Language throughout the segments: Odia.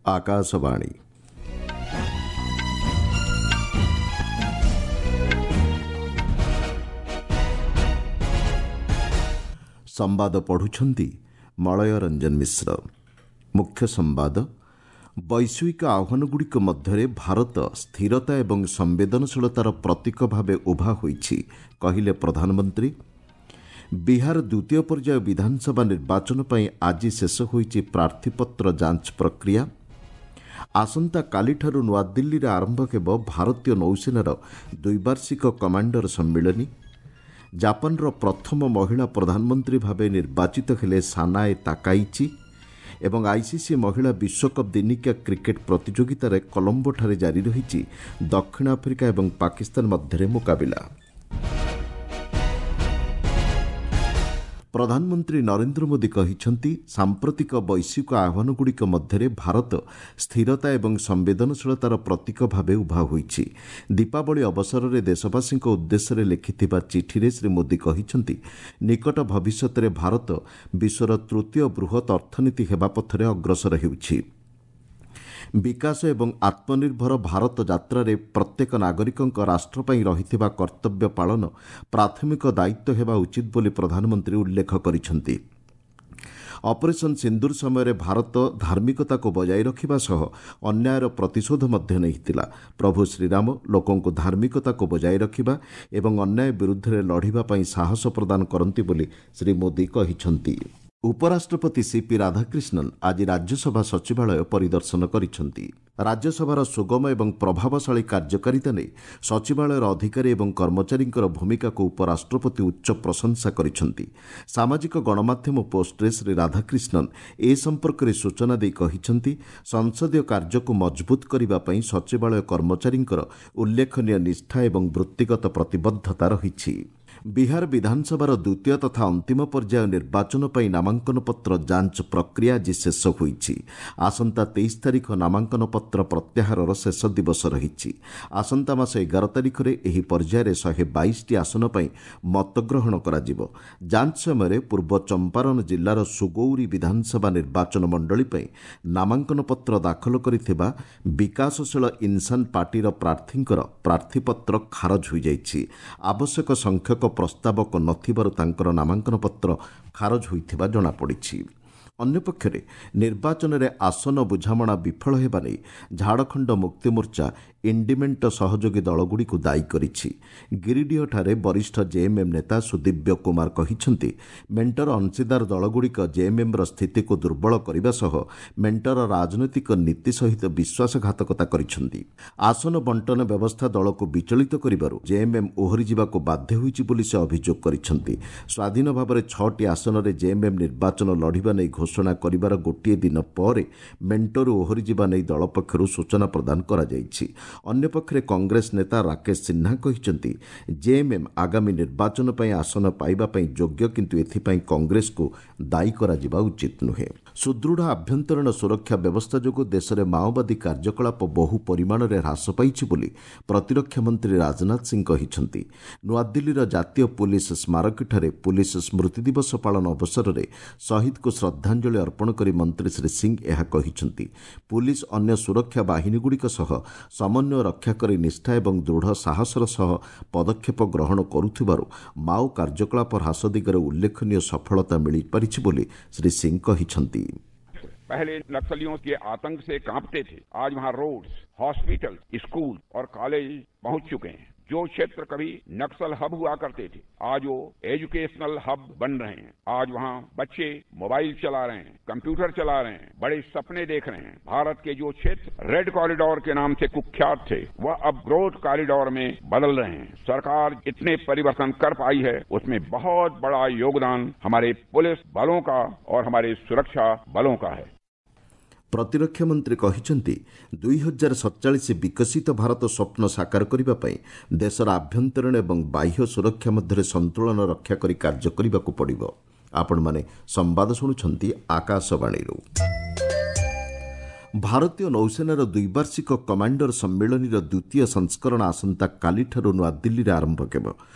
ଆକାଶବାଣୀ। ସମ୍ବାଦ ପଢ଼ୁଛନ୍ତି ମଳୟ ରଞ୍ଜନ ମିଶ୍ର। ମୁଖ୍ୟ ସମ୍ବାଦ। ବୈଶ୍ୱିକ ଆହ୍ୱାନଗୁଡ଼ିକ ମଧ୍ୟରେ ଭାରତ ସ୍ଥିରତା ଏବଂ ସମ୍ବେଦନଶୀଳତାର ପ୍ରତୀକ ଭାବେ ଉଭା ହୋଇଛି, କହିଲେ ପ୍ରଧାନମନ୍ତ୍ରୀ। ବିହାର ଦ୍ୱିତୀୟ ପର୍ଯ୍ୟାୟ ବିଧାନସଭା ନିର୍ବାଚନ ପାଇଁ ଆଜି ଶେଷ ହୋଇଛି ପ୍ରାର୍ଥୀପତ୍ର ଯାଞ୍ଚ ପ୍ରକ୍ରିୟା। ଆସନ୍ତାକାଲିଠାରୁ ନୂଆଦିଲ୍ଲୀରେ ଆରମ୍ଭ ହେବ ଭାରତୀୟ ନୌସେନାର ଦ୍ୱିବାର୍ଷିକ କମାଣ୍ଡର ସମ୍ମିଳନୀ। ଜାପାନର ପ୍ରଥମ ମହିଳା ପ୍ରଧାନମନ୍ତ୍ରୀ ଭାବେ ନିର୍ବାଚିତ ହେଲେ ସାନାଏ ତାକାଇଚି। ଏବଂ ଆଇସିସି ମହିଳା ବିଶ୍ୱକପ୍ ଦିନିକିଆ କ୍ରିକେଟ୍ ପ୍ରତିଯୋଗିତାରେ କଲମ୍ବୋଠାରେ ଜାରି ରହିଛି ଦକ୍ଷିଣ ଆଫ୍ରିକା ଏବଂ ପାକିସ୍ତାନ ମଧ୍ୟରେ ମୁକାବିଲା। ପ୍ରଧାନମନ୍ତ୍ରୀ ନରେନ୍ଦ୍ର ମୋଦି କହିଛନ୍ତି, ସାମ୍ପ୍ରତିକ ବୈଶ୍ୱିକ ଆହ୍ୱାନଗୁଡ଼ିକ ମଧ୍ୟରେ ଭାରତ ସ୍ଥିରତା ଏବଂ ସମ୍ବେଦନଶୀଳତାର ପ୍ରତୀକ ଭାବେ ଉଭା ହୋଇଛି। ଦୀପାବଳି ଅବସରରେ ଦେଶବାସୀଙ୍କ ଉଦ୍ଦେଶ୍ୟରେ ଲେଖିଥିବା ଚିଠିରେ ଶ୍ରୀ ମୋଦି କହିଛନ୍ତି, ନିକଟ ଭବିଷ୍ୟତରେ ଭାରତ ବିଶ୍ୱର ତୃତୀୟ ବୃହତ୍ ଅର୍ଥନୀତି ହେବା ପଥରେ ଅଗ୍ରସର ହେଉଛି। ବିକାଶ ଏବଂ ଆତ୍ମନିର୍ଭର ଭାରତ ଯାତ୍ରାରେ ପ୍ରତ୍ୟେକ ନାଗରିକଙ୍କ ରାଷ୍ଟ୍ର ପାଇଁ ରହିଥିବା କର୍ତ୍ତବ୍ୟ ପାଳନ ପ୍ରାଥମିକ ଦାୟିତ୍ୱ ହେବା ଉଚିତ ବୋଲି ପ୍ରଧାନମନ୍ତ୍ରୀ ଉଲ୍ଲେଖ କରିଛନ୍ତି। ଅପରେସନ୍ ସିନ୍ଦୁର ସମୟରେ ଭାରତ ଧାର୍ମିକତାକୁ ବଜାୟ ରଖିବା ସହ ଅନ୍ୟାୟର ପ୍ରତିଶୋଧ ମଧ୍ୟ ନେଇଥିଲା। ପ୍ରଭୁ ଶ୍ରୀରାମ ଲୋକଙ୍କୁ ଧାର୍ମିକତାକୁ ବଜାୟ ରଖିବା ଏବଂ ଅନ୍ୟାୟ ବିରୁଦ୍ଧରେ ଲଢ଼ିବା ପାଇଁ ସାହସ ପ୍ରଦାନ କରନ୍ତି ବୋଲି ଶ୍ରୀ ମୋଦି କହିଛନ୍ତି। ଉପରାଷ୍ଟ୍ରପତି ସିପି ରାଧାକ୍ରିଷ୍ଣନ୍ ଆଜି ରାଜ୍ୟସଭା ସଚିବାଳୟ ପରିଦର୍ଶନ କରିଛନ୍ତି। ରାଜ୍ୟସଭାର ସୁଗମ ଏବଂ ପ୍ରଭାବଶାଳୀ କାର୍ଯ୍ୟକାରିତା ନେଇ ସଚିବାଳୟର ଅଧିକାରୀ ଏବଂ କର୍ମଚାରୀଙ୍କର ଭୂମିକାକୁ ଉପରାଷ୍ଟ୍ରପତି ଉଚ୍ଚ ପ୍ରଶଂସା କରିଛନ୍ତି। ସାମାଜିକ ଗଣମାଧ୍ୟମ ପୋଷ୍ଟରେ ଶ୍ରୀ ରାଧାକ୍ରିଷ୍ଣନ୍ ଏ ସମ୍ପର୍କରେ ସୂଚନା ଦେଇ କହିଛନ୍ତି, ସଂସଦୀୟ କାର୍ଯ୍ୟକୁ ମଜବୁତ କରିବା ପାଇଁ ସଚିବାଳୟ କର୍ମଚାରୀଙ୍କର ଉଲ୍ଲେଖନୀୟ ନିଷ୍ଠା ଏବଂ ବୃତ୍ତିଗତ ପ୍ରତିବଦ୍ଧତା ରହିଛି। ବିହାର ବିଧାନସଭାର ଦ୍ୱିତୀୟ ତଥା ଅନ୍ତିମ ପର୍ଯ୍ୟାୟ ନିର୍ବାଚନ ପାଇଁ ନାମାଙ୍କନପତ୍ର ଯାଞ୍ଚ ପ୍ରକ୍ରିୟା ଆଜି ଶେଷ ହୋଇଛି। ଆସନ୍ତା 23 ତାରିଖ ନାମାଙ୍କନପତ୍ର ପ୍ରତ୍ୟାହାରର ଶେଷ ଦିବସ ରହିଛି। ଆସନ୍ତା ମାସ 11 ତାରିଖରେ ଏହି ପର୍ଯ୍ୟାୟରେ 122ଟି ଆସନ ପାଇଁ ମତଗ୍ରହଣ କରାଯିବ। ଯାଞ୍ଚ ସମୟରେ ପୂର୍ବ ଚମ୍ପାରନ ଜିଲ୍ଲାର ସୁଗୌରୀ ବିଧାନସଭା ନିର୍ବାଚନ ମଣ୍ଡଳୀ ପାଇଁ ନାମାଙ୍କନପତ୍ର ଦାଖଲ କରିଥିବା ବିକାଶଶୀଳ ଇନ୍ସାନ ପାର୍ଟିର ପ୍ରାର୍ଥୀଙ୍କର ପ୍ରାର୍ଥୀପତ୍ର ଖାରଜ ହୋଇଯାଇଛି। ଆବଶ୍ୟକ ସଂଖ୍ୟକ ପ୍ରସ୍ତାବକ ନଥିବାରୁ ତାଙ୍କର ନାମାଙ୍କନପତ୍ର ଖାରଜ ହୋଇଥିବା ଜଣାପଡ଼ିଛି। ଅନ୍ୟପକ୍ଷରେ ନିର୍ବାଚନରେ ଆସନ ବୁଝାମଣା ବିଫଳ ହେବା ନେଇ ଝାଡ଼ଖଣ୍ଡ ମୁକ୍ତିମୋର୍ଚ୍ଚା ଇଣ୍ଡିମେଣ୍ଟ ସହଯୋଗୀ ଦଳଗୁଡ଼ିକୁ ଦାୟୀ କରିଛି। ଗିରିଡିହଠାରେ ବରିଷ୍ଠ ଜେଏମ୍ଏମ୍ ନେତା ସୁଦିବ୍ୟ କୁମାର କହିଛନ୍ତି, ମେଣ୍ଟର ଅଂଶୀଦାର ଦଳଗୁଡ଼ିକ ଜେଏମ୍ଏମ୍ର ସ୍ଥିତିକୁ ଦୁର୍ବଳ କରିବା ସହ ମେଣ୍ଟର ରାଜନୈତିକ ନୀତି ସହିତ ବିଶ୍ୱାସଘାତକତା କରିଛନ୍ତି। ଆସନ ବଣ୍ଟନ ବ୍ୟବସ୍ଥା ଦଳକୁ ବିଚଳିତ କରିବାରୁ ଜେଏମ୍ଏମ୍ ଓହରିଯିବାକୁ ବାଧ୍ୟ ହୋଇଛି ବୋଲି ସେ ଅଭିଯୋଗ କରିଛନ୍ତି। ସ୍ୱାଧୀନ ଭାବରେ 6ଟି ଆସନରେ ଜେଏମ୍ଏମ୍ ନିର୍ବାଚନ ଲଢ଼ିବା ନେଇ ଘୋଷଣା କରିବାର ଗୋଟିଏ ଦିନ ପରେ ମେଣ୍ଟରୁ ଓହରିଯିବା ନେଇ ଦଳ ପକ୍ଷରୁ ସୂଚନା ପ୍ରଦାନ କରାଯାଇଛି। ଅନ୍ୟପକ୍ଷରେ କଂଗ୍ରେସ ନେତା ରାକେଶ ସିହ୍ନା କହିଛନ୍ତି, ଜେଏମ୍ଏମ୍ ଆଗାମୀ ନିର୍ବାଚନ ପାଇଁ ଆସନ ପାଇବା ପାଇଁ ଯୋଗ୍ୟ, କିନ୍ତୁ ଏଥିପାଇଁ କଂଗ୍ରେସକୁ ଦାୟୀ କରାଯିବା ଉଚିତ ନୁହେଁ। ସୁଦୃଢ଼ ଆଭ୍ୟନ୍ତରୀଣ ସୁରକ୍ଷା ବ୍ୟବସ୍ଥା ଯୋଗୁଁ ଦେଶରେ ମାଓବାଦୀ କାର୍ଯ୍ୟକଳାପ ବହୁ ପରିମାଣରେ ହ୍ରାସ ପାଇଛି ବୋଲି ପ୍ରତିରକ୍ଷା ମନ୍ତ୍ରୀ ରାଜନାଥ ସିଂ କହିଛନ୍ତି। ନୂଆଦିଲ୍ଲୀର ଜାତୀୟ ପୁଲିସ୍ ସ୍ମାରକୀଠାରେ ପୁଲିସ୍ ସ୍ମୃତି ଦିବସ ପାଳନ ଅବସରରେ ଶହୀଦଙ୍କୁ ଶ୍ରଦ୍ଧାଞ୍ଜଳି ଅର୍ପଣ କରି ମନ୍ତ୍ରୀ ଶ୍ରୀ ସିଂ ଏହା କହିଛନ୍ତି। ପୁଲିସ୍ ଅନ୍ୟ ସୁରକ୍ଷା ବାହିନୀଗୁଡ଼ିକ ସହ ସମନ୍ୱୟ ରକ୍ଷା କରି ନିଷ୍ଠା ଏବଂ ଦୃଢ଼ ସାହସର ସହ ପଦକ୍ଷେପ ଗ୍ରହଣ କରୁଥିବାରୁ ମାଓ କାର୍ଯ୍ୟକଳାପ ହ୍ରାସ ଦିଗରେ ଉଲ୍ଲେଖନୀୟ ସଫଳତା ମିଳିପାରିଛି ବୋଲି ଶ୍ରୀ ସିଂ କହିଛନ୍ତି। पहले नक्सलियों के आतंक से कांपते थे, आज वहां रोड्स, हॉस्पिटल, स्कूल और कॉलेज पहुंच चुके हैं। जो क्षेत्र कभी नक्सल हब हुआ करते थे, आज वो एजुकेशनल हब बन रहे हैं। आज वहां बच्चे मोबाइल चला रहे हैं, कंप्यूटर चला रहे हैं, बड़े सपने देख रहे हैं। भारत के जो क्षेत्र रेड कॉरिडोर के नाम से कुख्यात थे, वह अब ग्रोथ कॉरिडोर में बदल रहे हैं। सरकार इतने परिवर्तन कर पाई है, उसमें बहुत बड़ा योगदान हमारे पुलिस बलों का और हमारे सुरक्षा बलों का है। ପ୍ରତିରକ୍ଷା ମନ୍ତ୍ରୀ କହିଛନ୍ତି, 2047 ବିକଶିତ ଭାରତ ସ୍ୱପ୍ନ ସାକାର କରିବା ପାଇଁ ଦେଶର ଆଭ୍ୟନ୍ତରୀଣ ଏବଂ ବାହ୍ୟ ସୁରକ୍ଷା ମଧ୍ୟରେ ସନ୍ତୁଳନ ରକ୍ଷା କରି କାର୍ଯ୍ୟ କରିବାକୁ ପଡ଼ିବ। ଆପଣମାନେ ସମ୍ବାଦ ଶୁଣୁଛନ୍ତି ଆକାଶବାଣୀରୁ। ଭାରତୀୟ ନୌସେନାର ଦ୍ୱିବାର୍ଷିକ କମାଣ୍ଡର ସମ୍ମିଳନୀର ଦ୍ୱିତୀୟ ସଂସ୍କରଣ ଆସନ୍ତାକାଲିଠାରୁ ନୂଆଦିଲ୍ଲୀରେ ଆରମ୍ଭ ହେବ।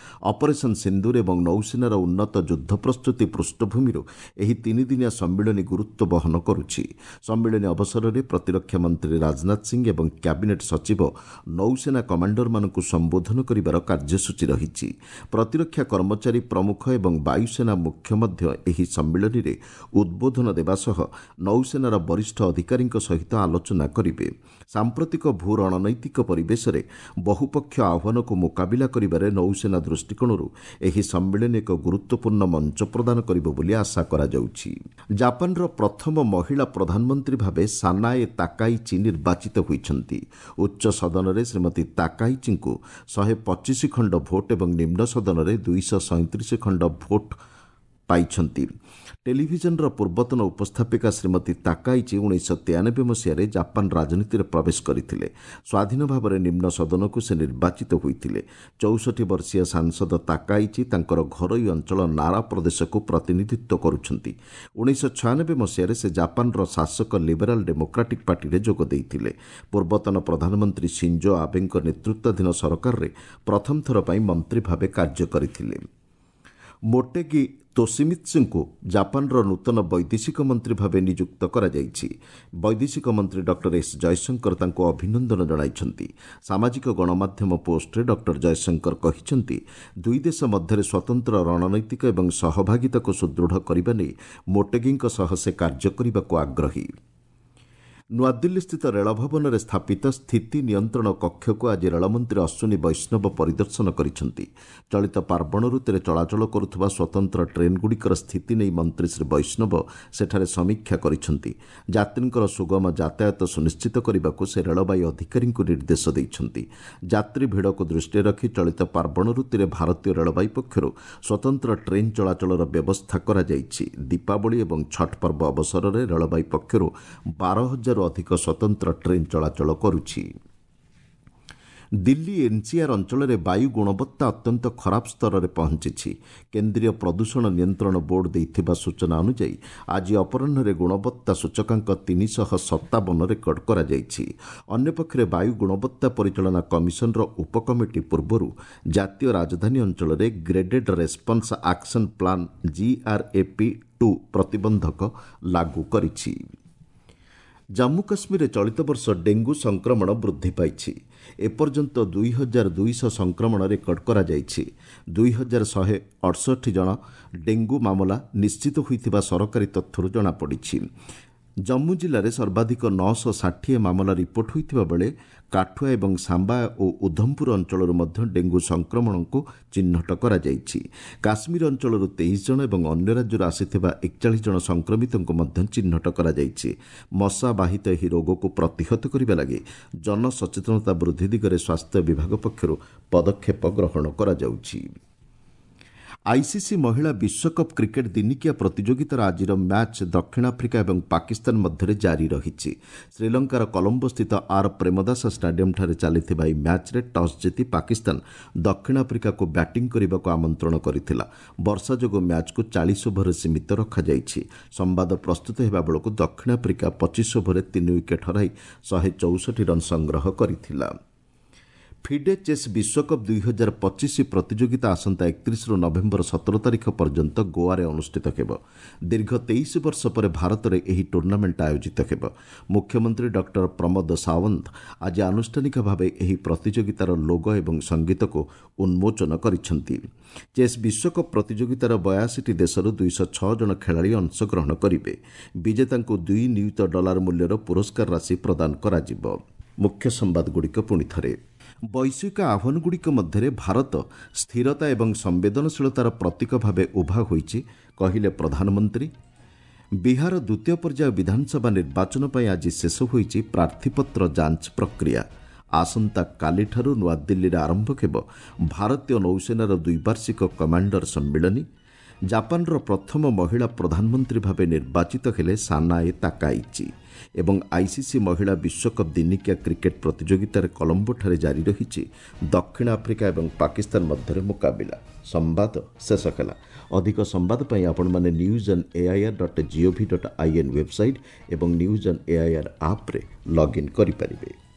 ଅପରେସନ୍ ସିନ୍ଦୁର ଏବଂ ନୌସେନାର ଉନ୍ନତ ଯୁଦ୍ଧ ପ୍ରସ୍ତୁତି ପୃଷ୍ଠଭୂମିରୁ ଏହି ତିନିଦିନିଆ ସମ୍ମିଳନୀ ଗୁରୁତ୍ୱ ବହନ କରୁଛି। ସମ୍ମିଳନୀ ଅବସରରେ ପ୍ରତିରକ୍ଷା ମନ୍ତ୍ରୀ ରାଜନାଥ ସିଂ ଏବଂ କ୍ୟାବିନେଟ୍ ସଚିବ ନୌସେନା କମାଣ୍ଡରମାନଙ୍କୁ ସମ୍ବୋଧନ କରିବାର କାର୍ଯ୍ୟସୂଚୀ ରହିଛି। ପ୍ରତିରକ୍ଷା କର୍ମଚାରୀ ପ୍ରମୁଖ ଏବଂ ବାୟୁସେନା ମୁଖ୍ୟ ମଧ୍ୟ ଏହି ସମ୍ମିଳନୀରେ ଉଦ୍ବୋଧନ ଦେବା ସହ ନୌସେନାର ବରିଷ୍ଠ ଅଧିକାରୀଙ୍କ ସହିତ ଆଲୋଚନା କରିବେ। ସାମ୍ପ୍ରତିକ ଭୂ ରଣନୈତିକ ପରିବେଶରେ ବହୁପକ୍ଷ ଆହ୍ୱାନକୁ ମୁକାବିଲା କରିବାରେ ନୌସେନା ଦୃଷ୍ଟିକୋଣରୁ ଏହି ସମ୍ମିଳନୀ ଏକ ଗୁରୁତ୍ୱପୂର୍ଣ୍ଣ ମଞ୍ଚ ପ୍ରଦାନ କରିବ ବୋଲି ଆଶା କରାଯାଉଛି। ଜାପାନର ପ୍ରଥମ ମହିଳା ପ୍ରଧାନମନ୍ତ୍ରୀ ଭାବେ ସାନାଏ ତାକାଇଚି ନିର୍ବାଚିତ ହୋଇଛନ୍ତି। ଉଚ୍ଚ ସଦନରେ ଶ୍ରୀମତୀ ତାକାଇଚିଙ୍କୁ 125 ଖଣ୍ଡ ଭୋଟ୍ ଏବଂ ନିମ୍ନ ସଦନରେ 237 ଖଣ୍ଡ ଭୋଟ୍ ପାଇଛନ୍ତି। ଟେଲିଭିଜନର ପୂର୍ବତନ ଉପସ୍ଥାପିକା ଶ୍ରୀମତୀ ତାକାଇଚି 1993 ମସିହାରେ ଜାପାନ ରାଜନୀତିରେ ପ୍ରବେଶ କରିଥିଲେ। ସ୍ୱାଧୀନ ଭାବରେ ନିମ୍ନ ସଦନକୁ ସେ ନିର୍ବାଚିତ ହୋଇଥିଲେ। 64 ବର୍ଷୀୟ ସାଂସଦ ତାକାଇଚି ତାଙ୍କର ଘରୋଇ ଅଞ୍ଚଳ ନାରା ପ୍ରଦେଶକୁ ପ୍ରତିନିଧିତ୍ୱ କରୁଛନ୍ତି। 1996 ମସିହାରେ ସେ ଜାପାନର ଶାସକ ଲିବେରାଲ ଡେମୋକ୍ରାଟିକ୍ ପାର୍ଟିରେ ଯୋଗ ଦେଇଥିଲେ। ପୂର୍ବତନ ପ୍ରଧାନମନ୍ତ୍ରୀ ସିଞ୍ଜୋ ଆବେଙ୍କ ନେତୃତ୍ୱାଧୀନ ସରକାରରେ ପ୍ରଥମ ଥର ପାଇଁ ମନ୍ତ୍ରୀ ଭାବେ କାର୍ଯ୍ୟ କରିଥିଲେ। ମୋଟେଗି ତୋସିମିତ୍ସୁଙ୍କୁ ଜାପାନର ନୂତନ ବୈଦେଶିକ ମନ୍ତ୍ରୀ ଭାବେ ନିଯୁକ୍ତ କରାଯାଇଛି। ବୈଦେଶିକ ମନ୍ତ୍ରୀ ଡକ୍ଟର ଏସ୍ ଜୟଶଙ୍କର ତାଙ୍କୁ ଅଭିନନ୍ଦନ ଜଣାଇଛନ୍ତି। ସାମାଜିକ ଗଣମାଧ୍ୟମ ପୋଷ୍ଟରେ ଡକ୍ଟର ଜୟଶଙ୍କର କହିଛନ୍ତି, ଦୁଇ ଦେଶ ମଧ୍ୟରେ ସ୍ୱତନ୍ତ୍ର ରଣନୈତିକ ଏବଂ ସହଭାଗିତାକୁ ସୁଦୃଢ଼ କରିବା ନେଇ ମୋଟେଗିଙ୍କ ସହ ସେ କାର୍ଯ୍ୟ କରିବାକୁ ଆଗ୍ରହୀ। ନୂଆଦିଲ୍ଲୀସ୍ଥିତ ରେଳଭବନରେ ସ୍ଥାପିତ ସ୍ଥିତି ନିୟନ୍ତ୍ରଣ କକ୍ଷକୁ ଆଜି ରେଳମନ୍ତ୍ରୀ ଅଶ୍ୱିନୀ ବୈଷ୍ଣବ ପରିଦର୍ଶନ କରିଛନ୍ତି। ଚଳିତ ପାର୍ବଣ ଋତୁରେ ଚଳାଚଳ କରୁଥିବା ସ୍ୱତନ୍ତ୍ର ଟ୍ରେନ୍ଗୁଡ଼ିକର ସ୍ଥିତି ନେଇ ମନ୍ତ୍ରୀ ଶ୍ରୀ ବୈଷ୍ଣବ ସେଠାରେ ସମୀକ୍ଷା କରିଛନ୍ତି। ଯାତ୍ରୀଙ୍କର ସୁଗମ ଯାତାୟାତ ସୁନିଶ୍ଚିତ କରିବାକୁ ସେ ରେଳବାଇ ଅଧିକାରୀଙ୍କୁ ନିର୍ଦ୍ଦେଶ ଦେଇଛନ୍ତି। ଯାତ୍ରୀ ଭିଡ଼କୁ ଦୃଷ୍ଟିରେ ରଖି ଚଳିତ ପାର୍ବଣ ଋତୁରେ ଭାରତୀୟ ରେଳବାଇ ପକ୍ଷରୁ ସ୍ୱତନ୍ତ୍ର ଟ୍ରେନ୍ ଚଳାଚଳର ବ୍ୟବସ୍ଥା କରାଯାଇଛି। ଦୀପାବଳି ଏବଂ ଛଟ୍ ପର୍ବ ଅବସରରେ ରେଳବାଇ ପକ୍ଷରୁ 12,000 ଅଧିକ ସ୍ୱତନ୍ତ୍ର ଟ୍ରେନ୍ ଚଳାଚଳ କରୁଛି। ଦିଲ୍ଲୀ ଏନ୍ସିଆର୍ ଅଞ୍ଚଳରେ ବାୟୁ ଗୁଣବତ୍ତା ଅତ୍ୟନ୍ତ ଖରାପ ସ୍ତରରେ ପହଞ୍ଚିଛି। କେନ୍ଦ୍ରୀୟ ପ୍ରଦୂଷଣ ନିୟନ୍ତ୍ରଣ ବୋର୍ଡ ଦେଇଥିବା ସୂଚନା ଅନୁଯାୟୀ ଆଜି ଅପରାହ୍ନରେ ଗୁଣବତ୍ତା ସୂଚକାଙ୍କ 357 ରେକର୍ଡ କରାଯାଇଛି। ଅନ୍ୟପକ୍ଷରେ ବାୟୁ ଗୁଣବତ୍ତା ପରିଚାଳନା କମିଶନର ଉପକମିଟି ପୂର୍ବରୁ ଜାତୀୟ ରାଜଧାନୀ ଅଞ୍ଚଳରେ graded response action plan GRAP 2 ପ୍ରତିବନ୍ଧକ ଲାଗୁ କରିଛି। ଜାମ୍ମୁ କାଶ୍ମୀରରେ ଚଳିତ ବର୍ଷ ଡେଙ୍ଗୁ ସଂକ୍ରମଣ ବୃଦ୍ଧି ପାଇଛି। ଏପର୍ଯ୍ୟନ୍ତ 2200 ସଂକ୍ରମଣ ରେକର୍ଡ କରାଯାଇଛି। 2168 ଜଣ ଡେଙ୍ଗୁ ମାମଲା ନିଶ୍ଚିତ ହୋଇଥିବା ସରକାରୀ ତଥ୍ୟରୁ ଜଣାପଡ଼ିଛି। ଜମ୍ମୁ ଜିଲ୍ଲାରେ ସର୍ବାଧିକ 960 ମାମଲା ରିପୋର୍ଟ ହୋଇଥିବା ବେଳେ କାଠୁଆ ଏବଂ ସାମ୍ବା ଓ ଉଧମପୁର ଅଞ୍ଚଳରୁ ମଧ୍ୟ ଡେଙ୍ଗୁ ସଂକ୍ରମଣକୁ ଚିହ୍ନଟ କରାଯାଇଛି। କାଶ୍ମୀର ଅଞ୍ଚଳରୁ 23 ଜଣ ଏବଂ ଅନ୍ୟ ରାଜ୍ୟରୁ ଆସିଥିବା 41 ଜଣ ସଂକ୍ରମିତଙ୍କୁ ମଧ୍ୟ ଚିହ୍ନଟ କରାଯାଇଛି। ମଶାବାହିତ ଏହି ରୋଗକୁ ପ୍ରତିହତ କରିବା ଲାଗି ଜନସଚେତନତା ବୃଦ୍ଧି ଦିଗରେ ସ୍ୱାସ୍ଥ୍ୟ ବିଭାଗ ପକ୍ଷରୁ ପଦକ୍ଷେପ ଗ୍ରହଣ କରାଯାଉଛି। ଆଇସିସି ମହିଳା ବିଶ୍ୱକପ୍ କ୍ରିକେଟ୍ ଦିନିକିଆ ପ୍ରତିଯୋଗିତାର ଆଜିର ମ୍ୟାଚ୍ ଦକ୍ଷିଣ ଆଫ୍ରିକା ଏବଂ ପାକିସ୍ତାନ ମଧ୍ୟରେ ଜାରି ରହିଛି। ଶ୍ରୀଲଙ୍କାର କଲମ୍ବୋସ୍ଥିତ ଆର୍ ପ୍ରେମଦାସ ଷ୍ଟାଡିୟମ୍ଠାରେ ଚାଲିଥିବା ଏହି ମ୍ୟାଚ୍ରେ ଟସ୍ ଜିତି ପାକିସ୍ତାନ ଦକ୍ଷିଣ ଆଫ୍ରିକାକୁ ବ୍ୟାଟିଂ କରିବାକୁ ଆମନ୍ତ୍ରଣ କରିଥିଲା। ବର୍ଷା ଯୋଗୁଁ ମ୍ୟାଚ୍କୁ 40 ଓଭରରେ ସୀମିତ ରଖାଯାଇଛି। ସମ୍ବାଦ ପ୍ରସ୍ତୁତ ହେବା ବେଳକୁ ଦକ୍ଷିଣ ଆଫ୍ରିକା 25 ଓଭରରେ 3 ୱିକେଟ୍ ହରାଇ 164 ରନ୍ ସଂଗ୍ରହ କରିଥିଲା। ଫିଡେ ଚେସ୍ ବିଶ୍ୱକପ୍ 2025 ପ୍ରତିଯୋଗିତା ଆସନ୍ତା 31ରୁ ନଭେମ୍ବର 17 ତାରିଖ ପର୍ଯ୍ୟନ୍ତ ଗୋଆରେ ଅନୁଷ୍ଠିତ ହେବ। ଦୀର୍ଘ 23 ବର୍ଷ ପରେ ଭାରତରେ ଏହି ଟୁର୍ଣ୍ଣାମେଣ୍ଟ ଆୟୋଜିତ ହେବ। ମୁଖ୍ୟମନ୍ତ୍ରୀ ଡକ୍ଟର ପ୍ରମୋଦ ସାୱନ୍ତ ଆଜି ଆନୁଷ୍ଠାନିକ ଭାବେ ଏହି ପ୍ରତିଯୋଗିତାର ଲୋଗୋ ଏବଂ ସଙ୍ଗୀତକୁ ଉନ୍ମୋଚନ କରିଛନ୍ତି। ଚେସ୍ ବିଶ୍ୱକପ୍ ପ୍ରତିଯୋଗିତାର 82ଟି ଦେଶରୁ 206 ଜଣ ଖେଳାଳି ଅଂଶଗ୍ରହଣ କରିବେ। ବିଜେତାଙ୍କୁ $2 ନିୟୁତ ମୂଲ୍ୟର ପୁରସ୍କାର ରାଶି ପ୍ରଦାନ କରାଯିବ। ମୁଖ୍ୟ ସମ୍ବାଦଗୁଡ଼ିକ ପୁଣି ଥରେ। ବୈଶ୍ୱିକ ଆହ୍ୱାନଗୁଡ଼ିକ ମଧ୍ୟରେ ଭାରତ ସ୍ଥିରତା ଏବଂ ସମ୍ବେଦନଶୀଳତାର ପ୍ରତୀକ ଭାବେ ଉଭା ହୋଇଛି, କହିଲେ ପ୍ରଧାନମନ୍ତ୍ରୀ। ବିହାର ଦ୍ୱିତୀୟ ପର୍ଯ୍ୟାୟ ବିଧାନସଭା ନିର୍ବାଚନ ପାଇଁ ଆଜି ଶେଷ ହୋଇଛି ପ୍ରାର୍ଥୀପତ୍ର ଯାଞ୍ଚ ପ୍ରକ୍ରିୟା। ଆସନ୍ତାକାଲିଠାରୁ ନୂଆଦିଲ୍ଲୀରେ ଆରମ୍ଭ ହେବ ଭାରତୀୟ ନୌସେନାର ଦ୍ୱିବାର୍ଷିକ କମାଣ୍ଡର ସମ୍ମିଳନୀ। ଜାପାନର ପ୍ରଥମ ମହିଳା ପ୍ରଧାନମନ୍ତ୍ରୀ ଭାବେ ନିର୍ବାଚିତ ହେଲେ ସାନାଏ ତାକାଇଚି। ଏବଂ ଆଇସିସି ମହିଳା ବିଶ୍ୱକପ୍ ଦିନିକିଆ କ୍ରିକେଟ୍ ପ୍ରତିଯୋଗିତାରେ କଲମ୍ବୋଠାରେ ଜାରି ରହିଛି ଦକ୍ଷିଣ ଆଫ୍ରିକା ଏବଂ ପାକିସ୍ତାନ ମଧ୍ୟରେ ମୁକାବିଲା। ସମ୍ବାଦ ଶେଷ ହେଲା। ଅଧିକ ସମ୍ବାଦ ପାଇଁ ଆପଣମାନେ news on AIR dot gov dot in website ଏବଂ ନ୍ୟୁଜ୍ ଅନ୍ ଏଆଇଆର୍ ଆପ୍ରେ ଲଗ୍ଇନ୍ କରିପାରିବେ।